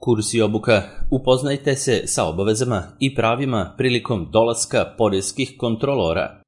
Kurs i obuka. Upoznajte se sa obavezama i pravima prilikom dolaska poreskih kontrolora.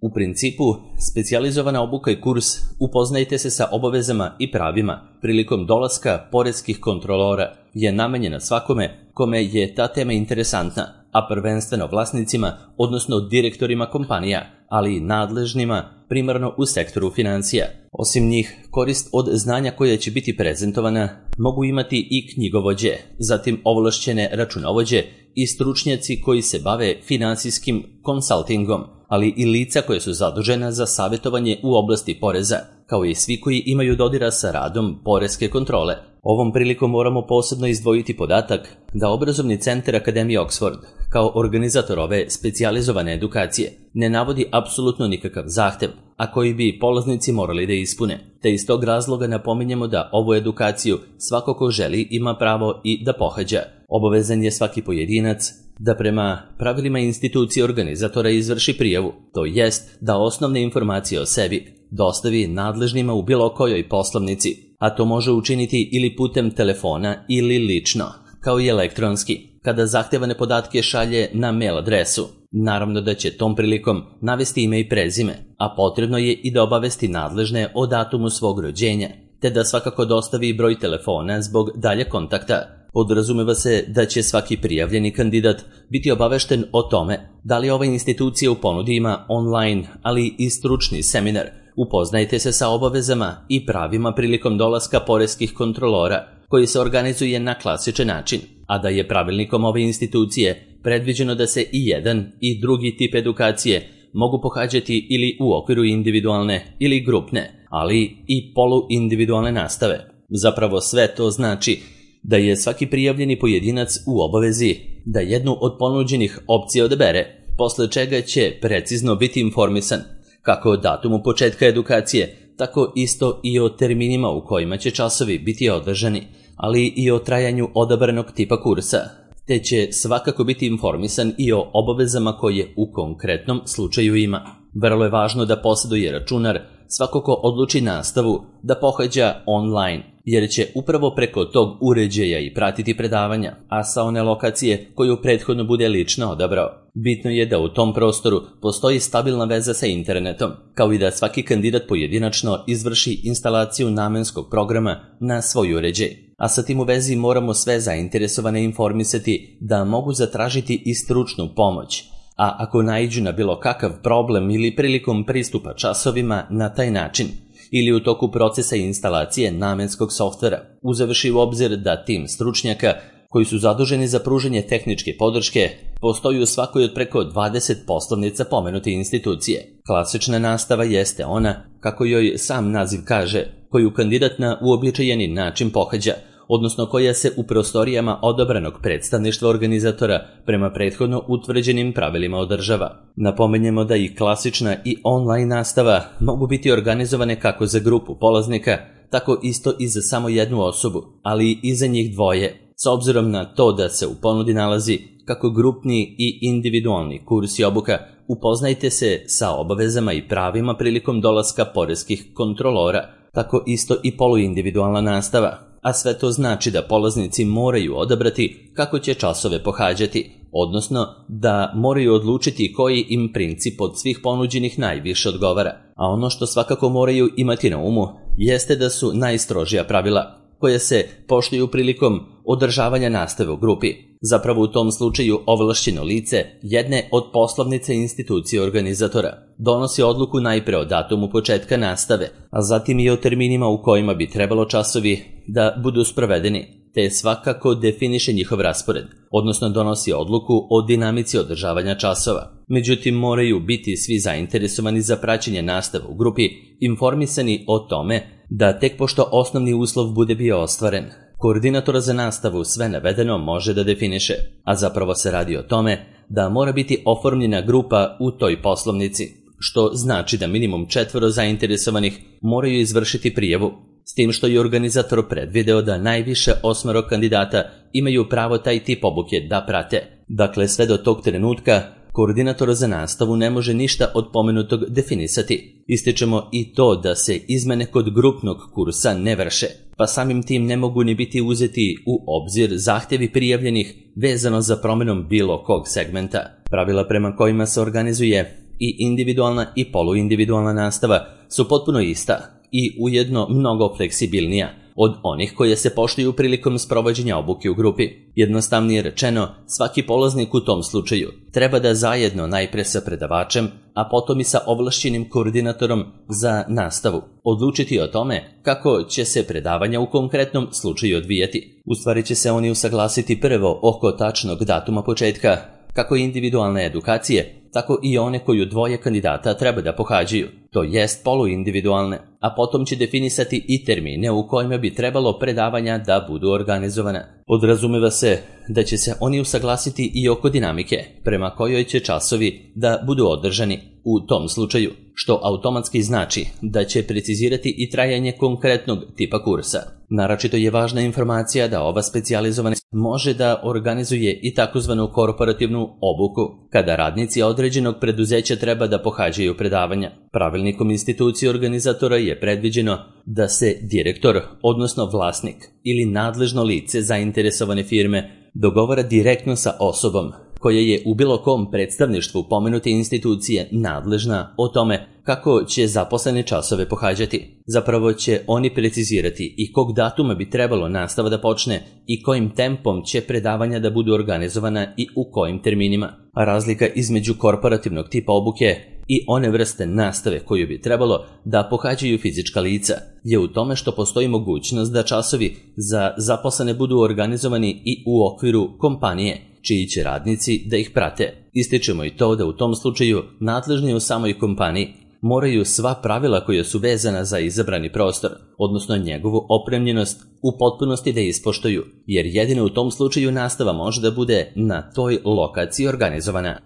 U principu, specijalizovana obuka i kurs Upoznajte se sa obavezama i pravima prilikom dolaska poreskih kontrolora je namenjena svakome kome je ta tema interesantna, a prvenstveno vlasnicima, odnosno direktorima kompanija, ali i nadležnima primarno u sektoru financija. Osim njih, korist od znanja koje će biti prezentovana mogu imati i knjigovođe, zatim ovlašćene računovođe i stručnjaci koji se bave finansijskim konsaltingom, ali i lica koje su zadužena za savjetovanje u oblasti poreza, kao i svi koji imaju dodira sa radom poreske kontrole. Ovom prilikom moramo posebno izdvojiti podatak da Obrazovni centar Akademije Oxford, kao organizator ove specijalizovane edukacije, ne navodi apsolutno nikakav zahtev, a koji bi polaznici morali da ispune, te iz tog razloga napominjemo da ovu edukaciju svako ko želi ima pravo i da pohađa. Obavezan je svaki pojedinac da prema pravilima institucije organizatora izvrši prijavu, to jest da osnovne informacije o sebi dostavi nadležnima u bilo kojoj poslovnici, a to može učiniti ili putem telefona ili lično, kao i elektronski, kada zahtevane podatke šalje na mail adresu. Naravno da će tom prilikom navesti ime i prezime, a potrebno je i da obavesti nadležne o datumu svog rođenja, te da svakako dostavi broj telefona zbog dalje kontakta. Podrazumeva se da će svaki prijavljeni kandidat biti obavešten o tome da li ova institucija u ponudi ima online, ali i stručni seminar Upoznajte se sa obavezama i pravima prilikom dolaska poreskih kontrolora, koji se organizuje na klasičan način, a da je pravilnikom ove institucije predviđeno da se i jedan i drugi tip edukacije mogu pohađati ili u okviru individualne ili grupne, ali i poluindividualne nastave. Zapravo sve to znači da je svaki prijavljeni pojedinac u obavezi da jednu od ponuđenih opcija odabere, posle čega će precizno biti informisan kako o datumu početka edukacije, tako isto i o terminima u kojima će časovi biti održani, ali i o trajanju odabranog tipa kursa, te će svakako biti informisan i o obavezama koje u konkretnom slučaju ima. Vrlo je važno da posjeduje računar svako ko odluči nastavu da pohađa online, jer će upravo preko tog uređaja i pratiti predavanja, a sa one lokacije koju prethodno bude lično odabrao. Bitno je da u tom prostoru postoji stabilna veza sa internetom, kao i da svaki kandidat pojedinačno izvrši instalaciju namenskog programa na svoj uređaj. A sa tim u vezi moramo sve zainteresovane informisati da mogu zatražiti i stručnu pomoć, a ako naiđu na bilo kakav problem ili prilikom pristupa časovima na taj način, ili u toku procesa instalacije namenskog softvera, uzevši u obzir da tim stručnjaka koji su zaduženi za pružanje tehničke podrške postoji u svakoj od preko 20 poslovnica pomenute institucije. Klasična nastava jeste ona, kako joj sam naziv kaže, koju kandidat na uobičajeni način pohađa, odnosno koja se u prostorijama odabranog predstavništva organizatora prema prethodno utvrđenim pravilima održava. Napomenjemo da i klasična i online nastava mogu biti organizovane kako za grupu polaznika, tako isto i za samo jednu osobu, ali i za njih dvoje, s obzirom na to da se u ponudi nalazi kako grupni i individualni kurs i obuka. Upoznajte se sa obavezama i pravima prilikom dolaska poreskih kontrolora, tako isto i poluindividualna nastava. A sve to znači da polaznici moraju odabrati kako će časove pohađati, odnosno da moraju odlučiti koji im princip od svih ponuđenih najviše odgovara. A ono što svakako moraju imati na umu jeste da su najstrožija pravila koja se poštuju prilikom održavanja nastave u grupi. Zapravo u tom slučaju ovlašćeno lice jedne od poslovnice institucije organizatora donosi odluku najpre o datumu početka nastave, a zatim i o terminima u kojima bi trebalo časovi da budu sprovedeni, te svakako definiše njihov raspored, odnosno donosi odluku o dinamici održavanja časova. Međutim, moraju biti svi zainteresovani za praćenje nastave u grupi informisani o tome da tek pošto osnovni uslov bude bio ostvaren, koordinator za nastavu sve navedeno može da definiše, a zapravo se radi o tome da mora biti oformljena grupa u toj poslovnici, što znači da minimum 4 zainteresovanih moraju izvršiti prijavu, s tim što je organizator predvideo da najviše 8 kandidata imaju pravo taj tip obuke da prate. Dakle, sve do tog trenutka koordinator za nastavu ne može ništa od pomenutog definisati. Ističemo i to da se izmene kod grupnog kursa ne vrše, pa samim tim ne mogu ni biti uzeti u obzir zahtjevi prijavljenih vezano za promjenom bilo kog segmenta. Pravila prema kojima se organizuje i individualna i poluindividualna nastava su potpuno ista i ujedno mnogo fleksibilnija od onih koje se poštuju prilikom sprovođenja obuke u grupi. Jednostavnije rečeno, svaki polaznik u tom slučaju treba da zajedno najpre sa predavačem, a potom i sa ovlašćenim koordinatorom za nastavu odlučiti o tome kako će se predavanja u konkretnom slučaju odvijati. U stvari će se oni usaglasiti prvo oko tačnog datuma početka, kako individualne edukacije, tako i one koju dvoje kandidata treba da pohađaju, to jest poluindividualne, a potom će definisati i termine u kojima bi trebalo predavanja da budu organizovana. Podrazumeva se da će se oni usaglasiti i oko dinamike, prema kojoj će časovi da budu održani u tom slučaju, što automatski znači da će precizirati i trajanje konkretnog tipa kursa. Naročito je važna informacija da ova specijalizovana može da organizuje i takozvanu korporativnu obuku, kada radnici određenog preduzeća treba da pohađaju predavanja. Pravilnikom institucije organizatora je predviđeno da se direktor, odnosno vlasnik ili nadležno lice zainteresovane firme dogovara direktno sa osobom koja je u bilo kom predstavništvu pomenute institucije nadležna o tome kako će zaposlene časove pohađati. Zapravo će oni precizirati i kog datuma bi trebalo nastava da počne i kojim tempom će predavanja da budu organizovana i u kojim terminima. A razlika između korporativnog tipa obuke i one vrste nastave koju bi trebalo da pohađaju fizička lica je u tome što postoji mogućnost da časovi za zaposlene budu organizovani i u okviru kompanije, čiji će radnici da ih prate. Ističemo i to da u tom slučaju nadležni u samoj kompaniji moraju sva pravila koja su vezana za izabrani prostor, odnosno njegovu opremljenost, u potpunosti da ispoštuju, jer jedino u tom slučaju nastava može da bude na toj lokaciji organizovana.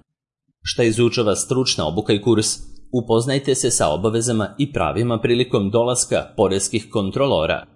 Šta izučava stručna obuka i kurs? Upoznajte se sa obavezama i pravima prilikom dolaska poreskih kontrolora.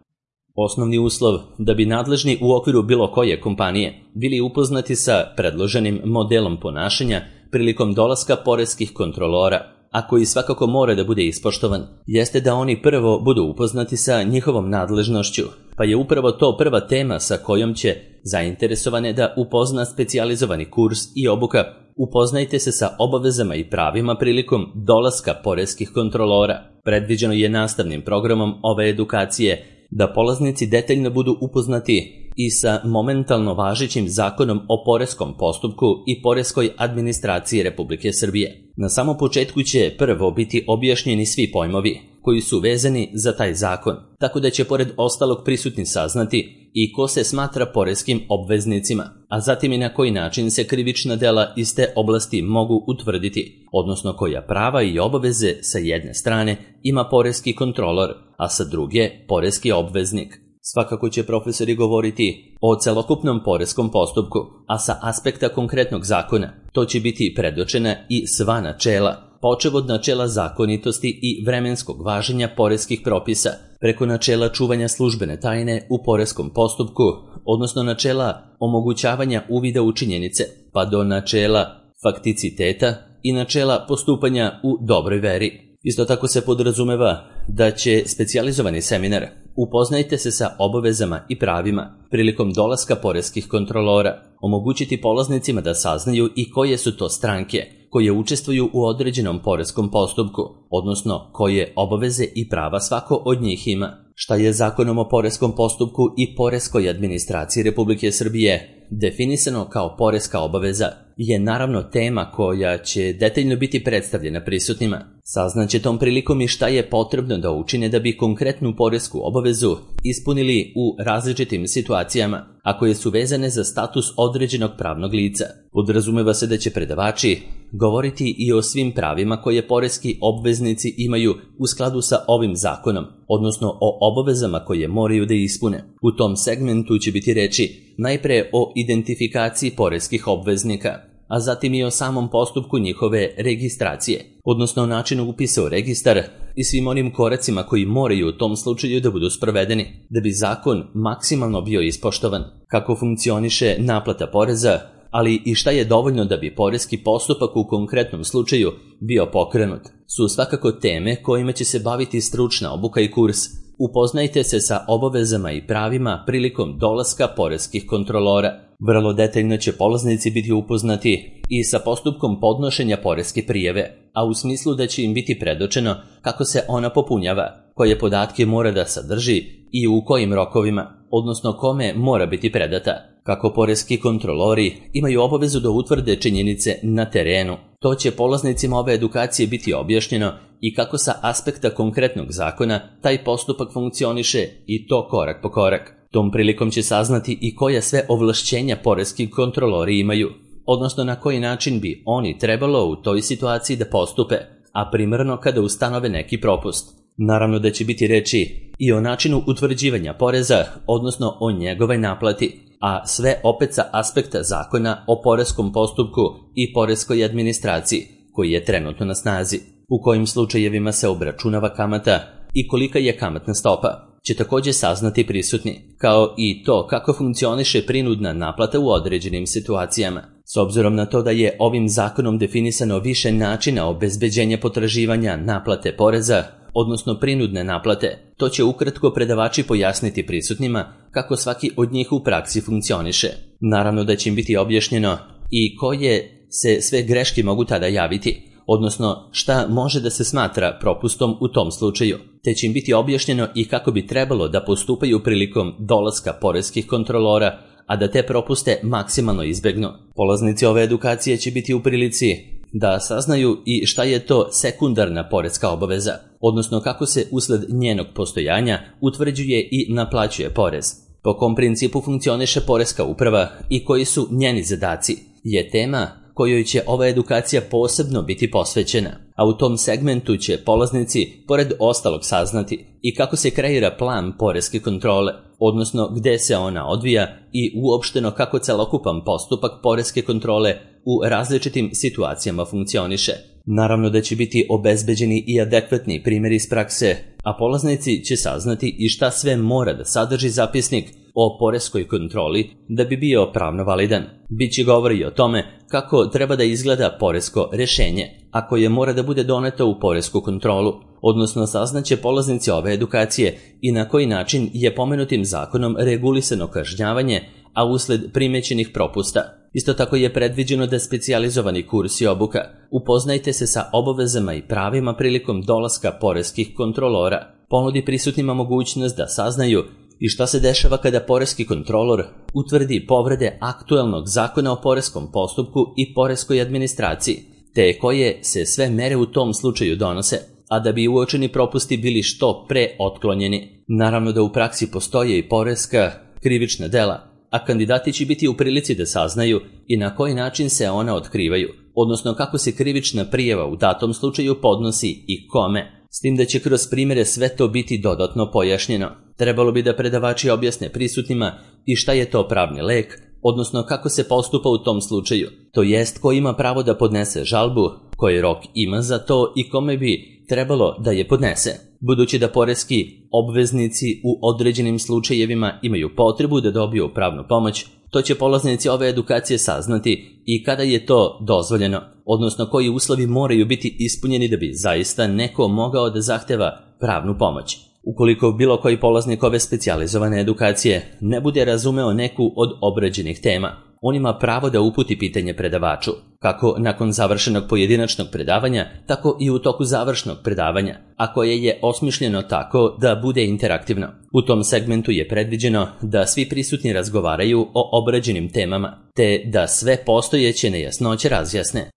Osnovni uslov da bi nadležni u okviru bilo koje kompanije bili upoznati sa predloženim modelom ponašanja prilikom dolaska poreskih kontrolora, a koji svakako mora da bude ispoštovan, jeste da oni prvo budu upoznati sa njihovom nadležnošću, pa je upravo to prva tema sa kojom će zainteresovane da upozna specijalizovani kurs i obuka. Upoznajte se sa obavezama i pravima prilikom dolaska poreskih kontrolora. Predviđeno je nastavnim programom ove edukacije da polaznici detaljno budu upoznati i sa momentalno važećim zakonom o poreskom postupku i poreskoj administraciji Republike Srbije. Na samom početku će prvo biti objašnjeni svi pojmovi koji su vezani za taj zakon, tako da će pored ostalog prisutni saznati i ko se smatra poreskim obveznicima, a zatim i na koji način se krivična dela iz te oblasti mogu utvrditi, odnosno koja prava i obaveze sa jedne strane ima poreski kontrolor, a sa druge poreski obveznik. Svakako će profesori govoriti o celokupnom poreskom postupku, a sa aspekta konkretnog zakona to će biti predočena i sva načela, počev od načela zakonitosti i vremenskog važenja poreskih propisa, preko načela čuvanja službene tajne u poreskom postupku, odnosno načela omogućavanja uvida u činjenice, pa do načela fakticiteta i načela postupanja u dobroj veri. Isto tako se podrazumeva da će specijalizovani seminar Upoznajte se sa obavezama i pravima prilikom dolaska poreskih kontrolora, omogućiti polaznicima da saznaju i koje su to stranke koje učestvuju u određenom poreskom postupku, odnosno koje obaveze i prava svako od njih ima. Šta je Zakonom o poreskom postupku i poreskoj administraciji Republike Srbije definisano kao poreska obaveza je naravno tema koja će detaljno biti predstavljena prisutnima. Saznaće tom prilikom i šta je potrebno da učine da bi konkretnu poresku obavezu ispunili u različitim situacijama, a koje su vezane za status određenog pravnog lica. Podrazumeva se da će predavači govoriti i o svim pravima koje poreski obveznici imaju u skladu sa ovim zakonom, odnosno o obavezama koje moraju da ispune. U tom segmentu će biti reči najpre o identifikaciji poreskih obveznika, a zatim i o samom postupku njihove registracije, odnosno o načinu upisa u registar i svim onim koracima koji moraju u tom slučaju da budu sprovedeni, da bi zakon maksimalno bio ispoštovan, kako funkcioniše naplata poreza, ali i šta je dovoljno da bi poreski postupak u konkretnom slučaju bio pokrenut, su svakako teme kojima će se baviti stručna obuka i kurs, Upoznajte se sa obavezama i pravima prilikom dolaska poreskih kontrolora. Vrlo detaljno će polaznici biti upoznati i sa postupkom podnošenja poreske prijave, a u smislu da će im biti predočeno kako se ona popunjava, koje podatke mora da sadrži i u kojim rokovima, odnosno kome mora biti predata. Kako poreski kontrolori imaju obavezu da utvrde činjenice na terenu, to će polaznicima ove edukacije biti objašnjeno i kako sa aspekta konkretnog zakona taj postupak funkcioniše i to korak po korak. Tom prilikom će saznati i koja sve ovlašćenja poreski kontrolori imaju, odnosno na koji način bi oni trebalo u toj situaciji da postupe, a primarno kada ustanove neki propust. Naravno da će biti reči i o načinu utvrđivanja poreza, odnosno o njegovoj naplati, a sve opet sa aspekta zakona o poreskom postupku i poreskoj administraciji, koji je trenutno na snazi, u kojim slučajevima se obračunava kamata i kolika je kamatna stopa, će također saznati prisutni, kao i to kako funkcioniše prinudna naplata u određenim situacijama. S obzirom na to da je ovim zakonom definisano više načina obezbeđenja potraživanja naplate poreza, odnosno prinudne naplate, to će ukratko predavači pojasniti prisutnima kako svaki od njih u praksi funkcioniše. Naravno da će im biti objašnjeno i koje se sve greške mogu tada javiti, odnosno šta može da se smatra propustom u tom slučaju, te će im biti objašnjeno i kako bi trebalo da postupaju prilikom dolaska poreskih kontrolora, a da te propuste maksimalno izbegnu. Polaznici ove edukacije će biti u prilici da saznaju i šta je to sekundarna poreska obaveza, odnosno kako se usled njenog postojanja utvrđuje i naplaćuje porez, po kom principu funkcioniše poreska uprava i koji su njeni zadaci, je tema kojoj će ova edukacija posebno biti posvećena, a u tom segmentu će polaznici pored ostalog saznati i kako se kreira plan poreske kontrole, odnosno gde se ona odvija i uopšteno kako celokupan postupak poreske kontrole u različitim situacijama funkcioniše. Naravno da će biti obezbeđeni i adekvatni primjeri iz prakse, a polaznici će saznati i šta sve mora da sadrži zapisnik o poreskoj kontroli da bi bio pravno validan. Biće govori o tome kako treba da izgleda poresko rešenje, a koje mora da bude doneto u poresku kontrolu, odnosno saznaće polaznici ove edukacije i na koji način je pomenutim zakonom regulisano kažnjavanje, a usled primećenih propusta. Isto tako je predviđeno da specijalizovani kurs i obuka Upoznajte se sa obavezama i pravima prilikom dolaska poreskih kontrolora ponudi prisutnima mogućnost da saznaju i šta se dešava kada poreski kontrolor utvrdi povrede aktuelnog zakona o poreskom postupku i poreskoj administraciji, te koje se sve mere u tom slučaju donose, a da bi uočeni propusti bili što pre otklonjeni. Naravno da u praksi postoje i poreska krivična dela, a kandidati će biti u prilici da saznaju i na koji način se ona otkrivaju, odnosno kako se krivična prijava u datom slučaju podnosi i kome, s tim da će kroz primjere sve to biti dodatno pojašnjeno. Trebalo bi da predavači objasne prisutnima i šta je to pravni lek, odnosno kako se postupa u tom slučaju, to jest ko ima pravo da podnese žalbu, koji rok ima za to i kome bi trebalo da je podnese. Budući da poreski obveznici u određenim slučajevima imaju potrebu da dobiju pravnu pomoć, to će polaznici ove edukacije saznati i kada je to dozvoljeno, odnosno koji uslovi moraju biti ispunjeni da bi zaista neko mogao da zahteva pravnu pomoć. Ukoliko bilo koji polaznik ove specijalizovane edukacije ne bude razumeo neku od obrađenih tema, on ima pravo da uputi pitanje predavaču, kako nakon završenog pojedinačnog predavanja, tako i u toku završnog predavanja, a koje je osmišljeno tako da bude interaktivno. U tom segmentu je predviđeno da svi prisutni razgovaraju o obrađenim temama, te da sve postojeće nejasnoće razjasne.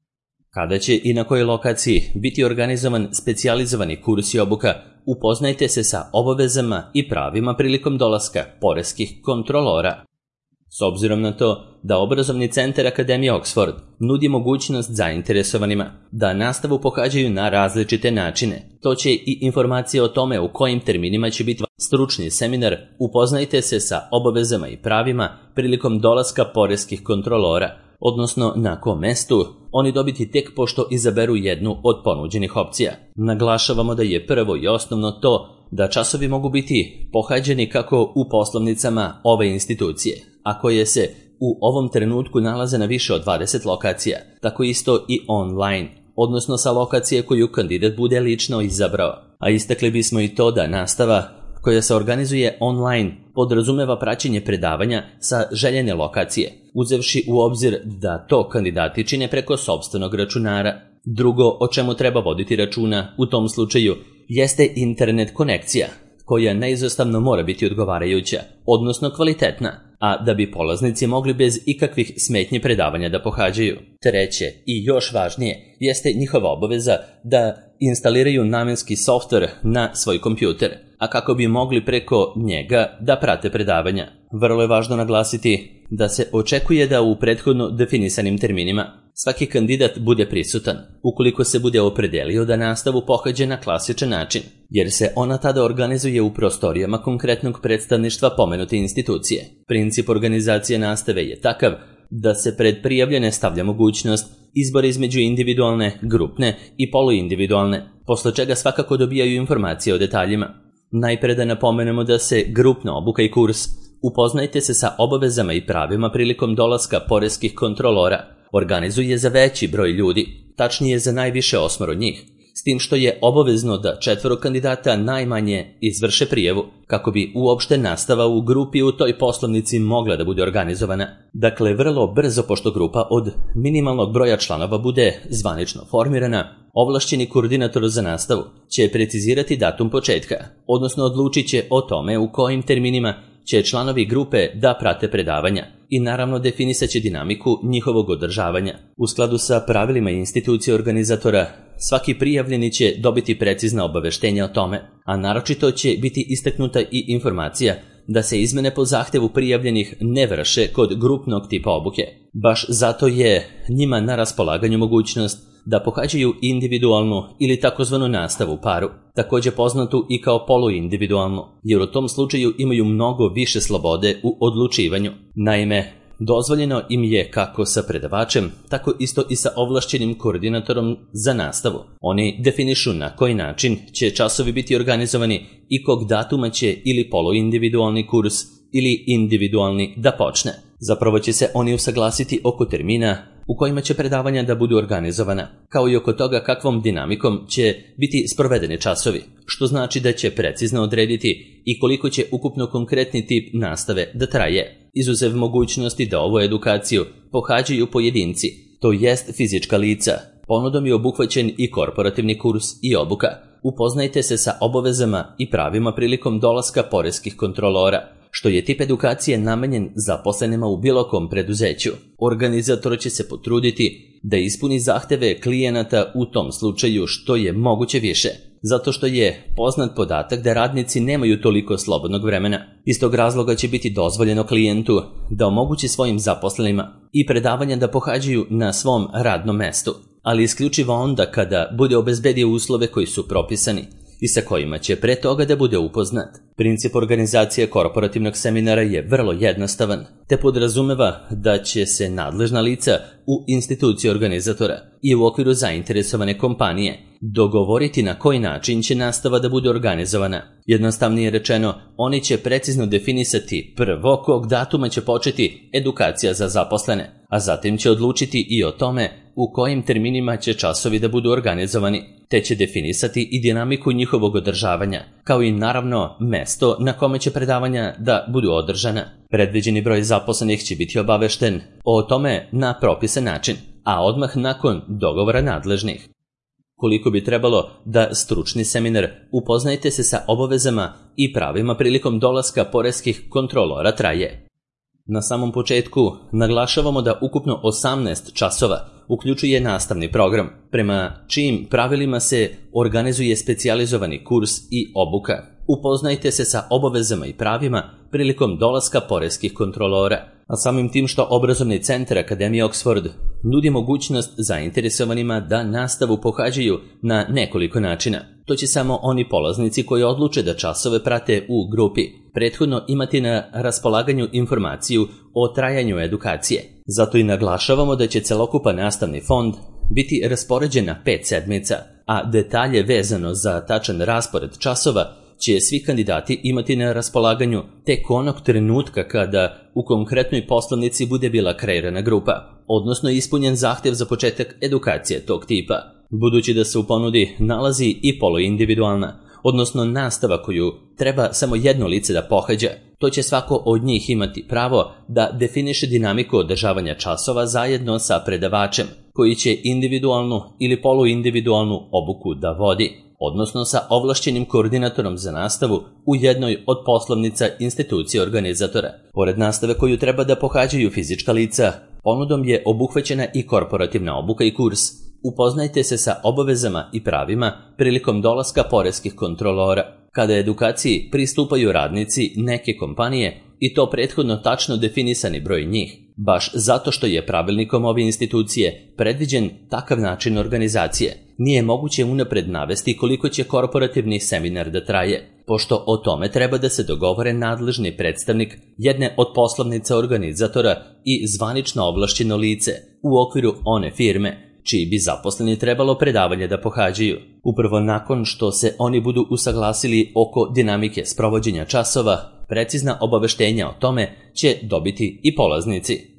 Kada će i na kojoj lokaciji biti organizovan specijalizovani kurs i obuka, upoznajte se sa obavezama i pravima prilikom dolaska poreskih kontrolora. S obzirom na to da obrazovni centar Akademije Oxford nudi mogućnost zainteresovanima da nastavu pohađaju na različite načine, to će i informacije o tome u kojim terminima će biti stručni seminar Upoznajte se sa obavezama i pravima prilikom dolaska poreskih kontrolora, odnosno na kom mestu oni dobiti tek pošto izaberu jednu od ponuđenih opcija. Naglašavamo da je prvo i osnovno to da časovi mogu biti pohađani kako u poslovnicama ove institucije, a koje se u ovom trenutku nalaze na više od 20 lokacija, tako isto i online, odnosno sa lokacije koju kandidat bude lično izabrao. A istakli bismo i to da nastava koja se organizuje online podrazumeva praćenje predavanja sa željene lokacije, uzevši u obzir da to kandidati čine preko sopstvenog računara. Drugo o čemu treba voditi računa u tom slučaju jeste internet konekcija, koja neizostavno mora biti odgovarajuća, odnosno kvalitetna, a da bi polaznici mogli bez ikakvih smetnji predavanja da pohađaju. Treće i još važnije jeste njihova obaveza da instaliraju namenski softver na svoj kompjuter, a kako bi mogli preko njega da prate predavanja. Vrlo je važno naglasiti da se očekuje da u prethodno definisanim terminima svaki kandidat bude prisutan, ukoliko se bude opredelio da nastavu pohađa na klasičan način, jer se ona tada organizuje u prostorijama konkretnog predstavništva pomenute institucije. Princip organizacije nastave je takav da se pred prijavljene stavlja mogućnost izbora između individualne, grupne i poluindividualne, posle čega svakako dobijaju informacije o detaljima. Najpre da napomenemo da se grupna obuka i kurs Upoznajte se sa obavezama i pravima prilikom dolaska poreskih kontrolora organizuje za veći broj ljudi, tačnije za najviše 8 njih, s tim što je obavezno da 4 kandidata najmanje izvrše prijavu, kako bi uopšte nastava u grupi u toj poslovnici mogla da bude organizovana. Dakle, vrlo brzo, pošto grupa od minimalnog broja članova bude zvanično formirana, ovlašćeni koordinator za nastavu će precizirati datum početka, odnosno odlučit će o tome u kojim terminima će članovi grupe da prate predavanja i naravno definisat će dinamiku njihovog održavanja. U skladu sa pravilima institucije organizatora, svaki prijavljeni će dobiti precizna obaveštenja o tome, a naročito će biti istaknuta i informacija da se izmene po zahtevu prijavljenih ne vrše kod grupnog tipa obuke. Baš zato je njima na raspolaganju mogućnost da pohađaju individualnu ili takozvanu nastavu u paru, također poznatu i kao poluindividualnu, jer u tom slučaju imaju mnogo više slobode u odlučivanju. Naime, dozvoljeno im je kako sa predavačem, tako isto i sa ovlašćenim koordinatorom za nastavu. Oni definišu na koji način će časovi biti organizovani i kog datuma će ili poluindividualni kurs ili individualni da počne. Zapravo će se oni usaglasiti oko termina u kojima će predavanja da budu organizovana, kao i oko toga kakvom dinamikom će biti sprovedeni časovi, što znači da će precizno odrediti i koliko će ukupno konkretni tip nastave da traje, izuzev mogućnosti da ovu edukaciju pohađaju pojedinci, to jest fizička lica. Ponudom je obuhvaćen i korporativni kurs i obuka. Upoznajte se sa obavezama i pravima prilikom dolaska poreskih kontrolora, što je tip edukacije namenjen zaposlenima u bilo kom preduzeću. Organizator će se potruditi da ispuni zahteve klijenata u tom slučaju što je moguće više, zato što je poznat podatak da radnici nemaju toliko slobodnog vremena. Iz tog razloga će biti dozvoljeno klijentu da omogući svojim zaposlenima i predavanja da pohađaju na svom radnom mestu, ali isključivo onda kada bude obezbedio uslove koji su propisani i sa kojima će pre toga da bude upoznat. Princip organizacije korporativnog seminara je vrlo jednostavan, te podrazumeva da će se nadležna lica u instituciji organizatora i u okviru zainteresovane kompanije dogovoriti na koji način će nastava da bude organizovana. Jednostavnije rečeno, oni će precizno definisati prvo kog datuma će početi edukacija za zaposlene, a zatim će odlučiti i o tome u kojim terminima će časovi da budu organizovani, te će definisati i dinamiku njihovog održavanja, kao i naravno mesto na kome će predavanja da budu održana. Predviđeni broj zaposlenih će biti obavešten o tome na propisan način, a odmah nakon dogovora nadležnih. Koliko bi trebalo da stručni seminar Upoznajte se sa obavezama i pravima prilikom dolaska poreskih kontrolora traje? Na samom početku naglašavamo da ukupno 18 časova uključuje nastavni program, prema čijim pravilima se organizuje specijalizovani kurs i obuka. Upoznajte se sa obavezama i pravima prilikom dolaska poreskih kontrolora, a samim tim što obrazovni centar Akademije Oxford nudi mogućnost zainteresovanima da nastavu pohađaju na nekoliko načina. To će samo oni polaznici koji odluče da časove prate u grupi prethodno imati na raspolaganju informaciju o trajanju edukacije. Zato i naglašavamo da će celokupan nastavni fond biti raspoređen na 5 sedmica, a detalje vezano za tačan raspored časova će svi kandidati imati na raspolaganju tek onog trenutka kada u konkretnoj poslovnici bude bila kreirana grupa, odnosno ispunjen zahtev za početak edukacije tog tipa. Budući da se u ponudi nalazi i poluindividualna, odnosno nastava koju treba samo jedno lice da pohađa, to će svako od njih imati pravo da definiše dinamiku održavanja časova zajedno sa predavačem, koji će individualnu ili poluindividualnu obuku da vodi, odnosno sa ovlašćenim koordinatorom za nastavu u jednoj od poslovnica institucije organizatora. Pored nastave koju treba da pohađaju fizička lica, ponudom je obuhvaćena i korporativna obuka i kurs. Upoznajte se sa obavezama i pravima prilikom dolaska poreskih kontrolora. Kada edukaciji pristupaju radnici neke kompanije, i to prethodno tačno definisani broj njih, baš zato što je pravilnikom ove institucije predviđen takav način organizacije, nije moguće unapred navesti koliko će korporativni seminar da traje, pošto o tome treba da se dogovore nadležni predstavnik jedne od poslovnica organizatora i zvanično ovlašćeno lice u okviru one firme čiji bi zaposleni trebalo predavanje da pohađaju. Upravo nakon što se oni budu usaglasili oko dinamike sprovođenja časova, precizna obaveštenja o tome će dobiti i polaznici.